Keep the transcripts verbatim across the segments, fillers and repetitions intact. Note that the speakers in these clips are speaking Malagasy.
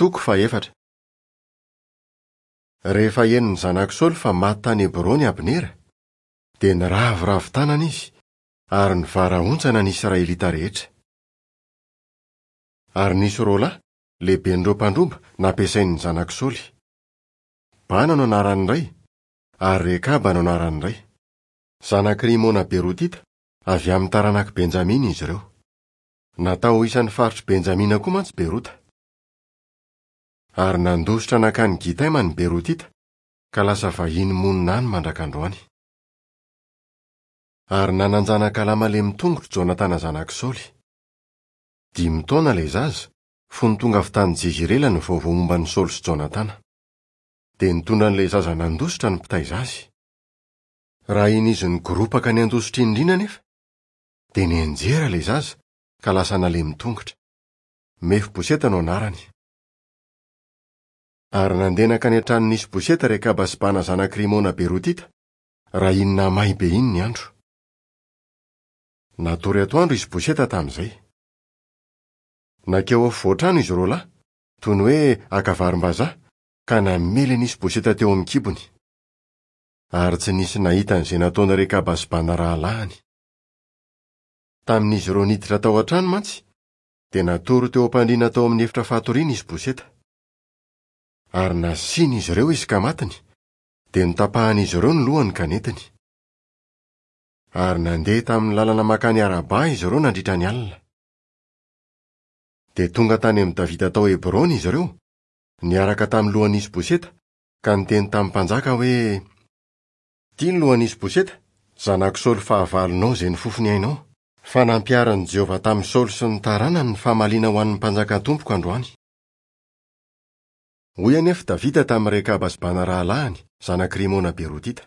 Toko fahefatra. Rehefa henon'ny zanak'i Saoly fa maty tany Hebrona i Abnera, dia niraviravy tanana izy ary nivarahontsana ny Israelita rehetra. Ary nisy roa lahy, lehiben'ireo mpandroba, nampiasain'ny zanak'i Saoly. Bana no anaran'ny iray, ary Rekaba no anaran'ny iray. Zanak'i Rimona Berotita, avy amin'ny taranak'i Benjamina izy ireo. Natao ho isan'ny faritr'i Benjamina koa mantsy Berota. Ary nandositra nankany Gitaima ny Berotita, ka lasa vahiny monina any mandrak'androany. Ary nanan-janaka lahy malemy tongotra Jonatana zanak'i Saoly. Dimy taona ilay zaza, fony tonga avy tany Jezirela ny vaovao momba an'i Saoly sy Jonatana. Dia nitondra an'ilay zaza nandositra ny mpitaiza azy. Raha iny izy nigoropaka ny handositra iny indrindra anefa, dia nianjera ilay zaza ka lasa nalemy tongotra. Mefiboseta no anarany. Ary nandeha nankany an-tranon'i Isboseta Rekaba sy Bana zanak'i Rimona Berotita, raha iny namay be iny ny andro. Natory atoandro Isboseta tamin'izay. Nankeo afovoan-trano izy roa lahy, toy ny hoe haka varim-bazaha, ka namely an'i Isboseta teo amin'ny kibony. Ary tsy nisy nahita an'izay nataon'i Rekaba sy Bana rahalahiny. Tamin'izy ireo niditra tao an-trano mantsy, dia natory teo am-pandriana tao amin'ny efitra fatoriana Isboseta. Ary nasian'izy ireo izy ka matiny, dia notapahan'izy ireo ny lohany ka nentiny. Ary nandeha tamin'ny lalana mankany Araba izy ireo nandritra ny alina. Dia tonga tany amin'i Davida tao Hebrona izy ireo, niaraka tamin'ny lohan'i Isboseta, ka niteny tamin'ny mpanjaka hoe: "Ity ny lohan'i Isboseta, zanak'i Saoly fahavalonao izay nifofo ny ainao, fa nampiharin'i Jehovah tamin'i Saoly sy ny taranany ny famaliana ho an'ny mpanjaka tompoko androany." Hoy anefa Davida tamin'i Rekaba sy Bana rahalahiny, zanak'i Rimona Berotita: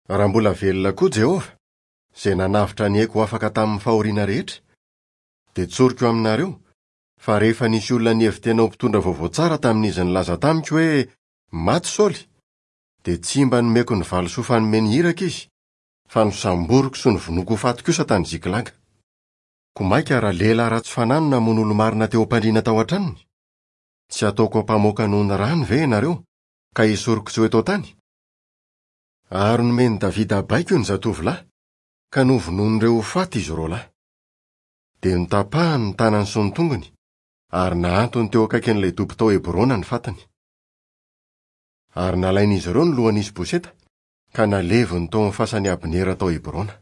"Raha mbola velona koa Jehovah, izay nanavotra ny aiko ho afaka tamin'ny fahoriana rehetra, dia tsoriko aminareo fa rehefa nisy olona nihevi-tena ho mpitondra vaovao tsara tamin'izy nilaza tamiko hoe maty Saoly, dia tsy mba nomeko ny valisoa fanome ny iraka izy, fa nosamboriko sy novonoiko ho faty kosa tany Ziklaga. Koa mainka raha lehilahy ratsy fanahy no namono olo-marina teo am-pandriana tao an-tranony, tsy ataoko ampamoaka noho ny rany ve ianareo, ka esoriko tsy ho eto an-tany?" Ary nomen'i Davida baiko ny zatovolahy, ka novonoin'ireo ho faty izy roa lahy. Dia notapahany ny tanany sy ny tongony, ary nahantony teo akaikin'ilay dobo tao Hebrona ny fatiny. Ary nalain'izy ireo ny lohan'i Isboseta, ka naleviny tao amin'ny fasan'i Abnera tao Hebrona.